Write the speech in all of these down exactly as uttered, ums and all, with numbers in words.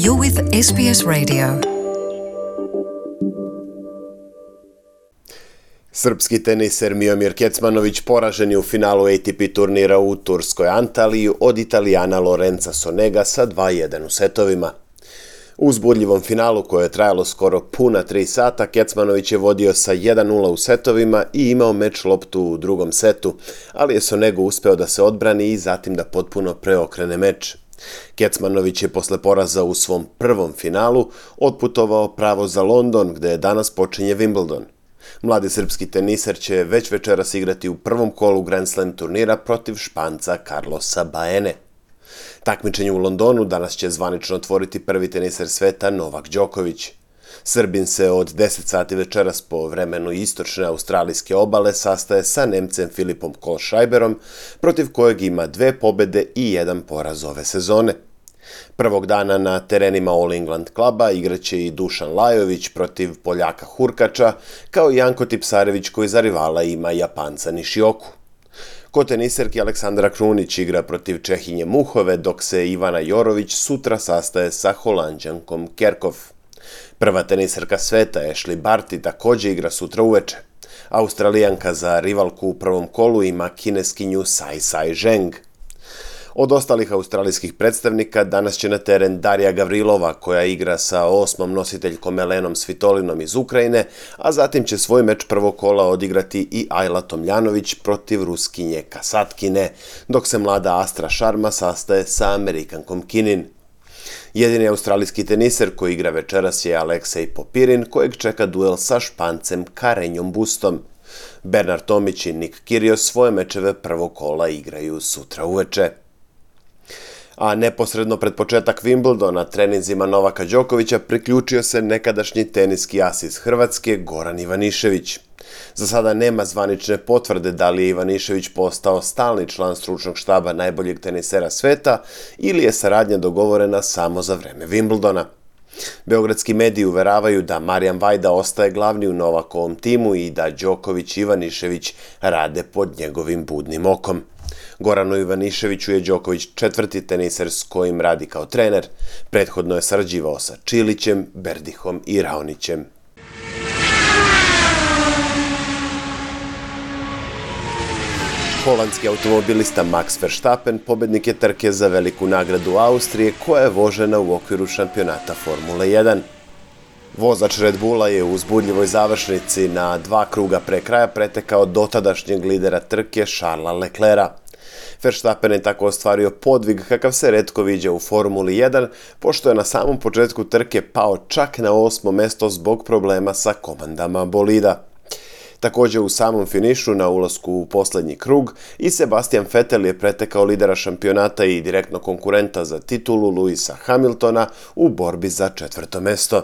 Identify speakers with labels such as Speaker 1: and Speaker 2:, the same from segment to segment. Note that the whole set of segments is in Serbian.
Speaker 1: You're with S B S Radio.
Speaker 2: Srpski teniser Miomir Kecmanović poražen je u finalu A T P turnira u turskoj Antaliji od Italijana Lorenza Sonega sa dva jedan u setovima. U uzbudljivom finalu koje je trajalo skoro puna tri sata, Kecmanović je vodio sa jedan nula u setovima i imao meč loptu u drugom setu, ali je Sonego uspeo da se odbrani i zatim da potpuno preokrene meč. Kecmanović je posle poraza u svom prvom finalu otputovao pravo za London, gde danas počinje Wimbledon. Mladi srpski teniser će već večeras igrati u prvom kolu Grand Slam turnira protiv Španca Carlosa Baene. Takmičenje u Londonu danas će zvanično otvoriti prvi teniser sveta Novak Đoković. Srbin se od deset sati večeras po vremenu istočne australijske obale sastaje sa Nemcem Filipom Kohlschreiberom, protiv kojeg ima dve pobede i jedan poraz ove sezone. Prvog dana na terenima All England kluba igraće i Dušan Lajović protiv Poljaka Hurkača, kao i Janko Tipsarević koji za rivala ima Japanca Nishioku. Kod teniserki Aleksandra Krunić igra protiv Čehinje Muhove, dok se Ivana Jorović sutra sastaje sa Holanđankom Kerkov. Prva teniserka sveta Ashley Barty također igra sutra uveče. Australijanka za rivalku u prvom kolu ima kineskinju Sai Sai Zheng. Od ostalih australijskih predstavnika danas će na teren Darija Gavrilova, koja igra sa osmom nositeljkom Elenom Svitolinom iz Ukrajine, a zatim će svoj meč prvog kola odigrati i Ajla Tomljanović protiv Ruskinje Kasatkine, dok se mlada Astra Sharma sastaje sa Amerikankom Kinin. Jedini australijski teniser koji igra večeras je Aleksej Popirin, kojeg čeka duel sa Špancem Karenjom Bustom. Bernard Tomić i Nick Kyrgios svoje mečeve prvog kola igraju sutra uveče. A neposredno pred početak Wimbledona treninzima Novaka Đokovića priključio se nekadašnji teniski as iz Hrvatske Goran Ivanišević. Za sada nema zvanične potvrde da li je Ivanišević postao stalni član stručnog štaba najboljeg tenisera sveta ili je saradnja dogovorena samo za vreme Wimbledona. Beogradski mediji uveravaju da Marijan Vajda ostaje glavni u Novakovom timu i da Đoković i Ivanišević rade pod njegovim budnim okom. Goranu Ivaniševiću je Đoković četvrti teniser s kojim radi kao trener. Prethodno je sarađivao sa Čilićem, Berdihom i Raonićem. Holandski automobilista Max Verstappen pobednik je trke za veliku nagradu Austrije koja je vožena u okviru šampionata Formule jedan. Vozač Red Bulla je u uzbudljivoj završnici na dva kruga pre kraja pretekao dotadašnjeg lidera trke Charlesa Leclerca. Verstappen je tako ostvario podvig kakav se retko viđa u Formuli jedan, pošto je na samom početku trke pao čak na osmo mesto zbog problema sa komandama bolida. Također u samom finišu na ulasku u posljednji krug i Sebastian Vettel je pretekao lidera šampionata i direktno konkurenta za titulu Lewisa Hamiltona u borbi za četvrto mesto.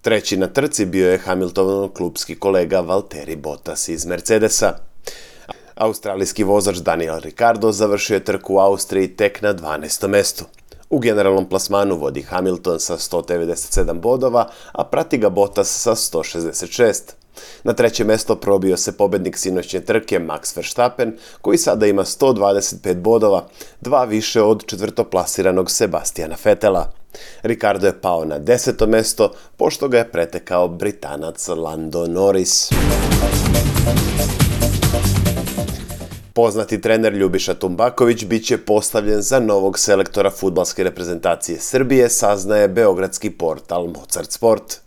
Speaker 2: Treći na trci bio je Hamiltonov klupski kolega Valtteri Bottas iz Mercedesa. Australijski vozač Daniel Ricciardo završio je trku u Austriji tek na dvanaestom mestu. U generalnom plasmanu vodi Hamilton sa sto devedeset sedam bodova, a prati ga Bottas sa sto šezdeset šest. Na treće mesto probio se pobednik sinoćnje trke Max Verstappen, koji sada ima sto dvadeset pet bodova, dva više od četvrtoplasiranog Sebastiana Vettela. Ricciardo je pao na deseto mesto, pošto ga je pretekao Britanac Lando Norris. Poznati trener Ljubiša Tumbaković biće postavljen za novog selektora fudbalske reprezentacije Srbije, saznaje beogradski portal Mozart Sport.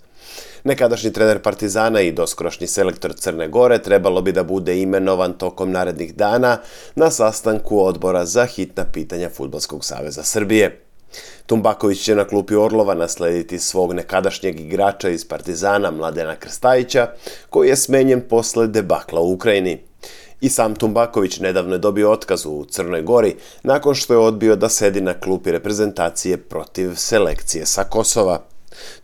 Speaker 2: Nekadašnji trener Partizana i doskorošnji selektor Crne Gore trebalo bi da bude imenovan tokom narednih dana na sastanku odbora za hitna pitanja Fudbalskog saveza Srbije. Tumbaković će na klupi Orlova naslediti svog nekadašnjeg igrača iz Partizana Mladena Krstajića, koji je smenjen posle debakla u Ukrajini. I sam Tumbaković nedavno je dobio otkaz u Crnoj Gori nakon što je odbio da sedi na klupi reprezentacije protiv selekcije sa Kosova.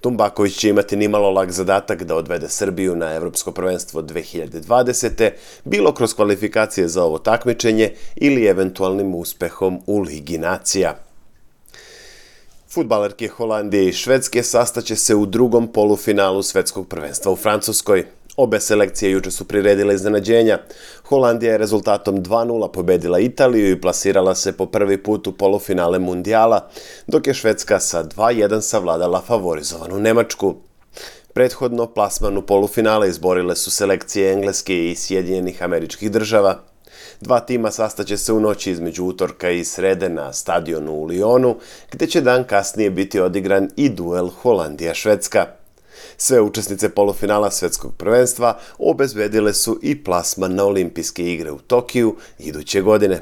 Speaker 2: Tumbaković će imati nimalo lak zadatak da odvede Srbiju na Evropsko prvenstvo dve hiljade dvadesete. bilo kroz kvalifikacije za ovo takmičenje ili eventualnim uspehom u Ligi nacija. Fudbalerke Holandije i Švedske sastaće se u drugom polufinalu svetskog prvenstva u Francuskoj. Obe selekcije juče su priredile iznenađenja. Holandija je rezultatom dva nula pobedila Italiju i plasirala se po prvi put u polufinale mundijala, dok je Švedska sa dva jedan savladala favorizovanu Nemačku. Prethodno plasman u polufinale izborile su selekcije Engleske i Sjedinjenih Američkih Država. Dva tima sastaće se u noći između utorka i srede na stadionu u Lyonu, gdje će dan kasnije biti odigran i duel Holandija-Švedska. Sve učesnice polufinala svjetskog prvenstva obezbedile su i plasman na olimpijske igre u Tokiju iduće godine.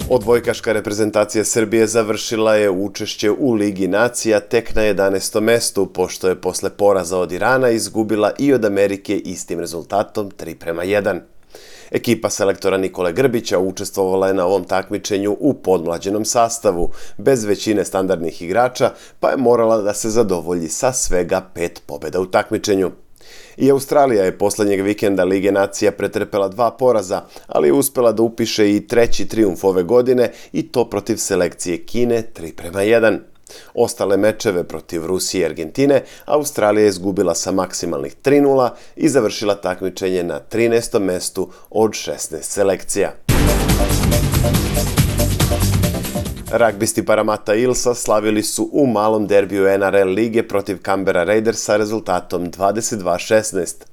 Speaker 2: Odbojkaška reprezentacija Srbije završila je učešće u Ligi nacija tek na jedanaestom mestu, pošto je posle poraza od Irana izgubila i od Amerike istim rezultatom tri prema jedan. Ekipa selektora Nikole Grbića učestvovala je na ovom takmičenju u podmlađenom sastavu, bez većine standardnih igrača, pa je morala da se zadovolji sa svega pet pobjeda u takmičenju. I Australija je posljednjeg vikenda Lige nacija pretrpela dva poraza, ali je uspela da upiše i treći trijumf ove godine i to protiv selekcije Kine tri prema jedan. Ostale mečeve protiv Rusije i Argentine Australija je izgubila sa maksimalnih tri nula i završila takmičenje na trinaestom mestu od šesnaest selekcija. Ragbisti Parramatta Eelsa slavili su u malom derbiju N R L lige protiv Canberra Raidersa rezultatom dvadeset dva šesnaest.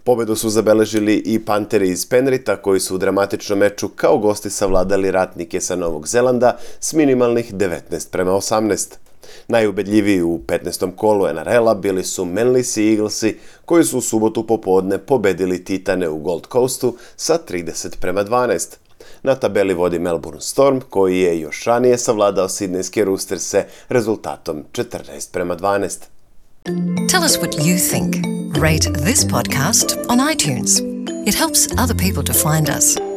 Speaker 2: Pobedu su zabeležili i Panteri iz Penrita koji su u dramatičnom meču kao gosti savladali ratnike sa Novog Zelanda s minimalnih devetnaest prema osamnaest. Najubedljiviji u petnaestom kolu N R L-a bili su Manly Eaglesi koji su u subotu popodne pobedili Titane u Gold Coastu sa trideset prema dvanaest. Na tabeli vodi Melbourne Storm koji je još ranije savladao Sidnejske Roosterse rezultatom četrnaest prema dvanaest.
Speaker 1: Tell us what you think. Rate this podcast on iTunes. It helps other people to find us.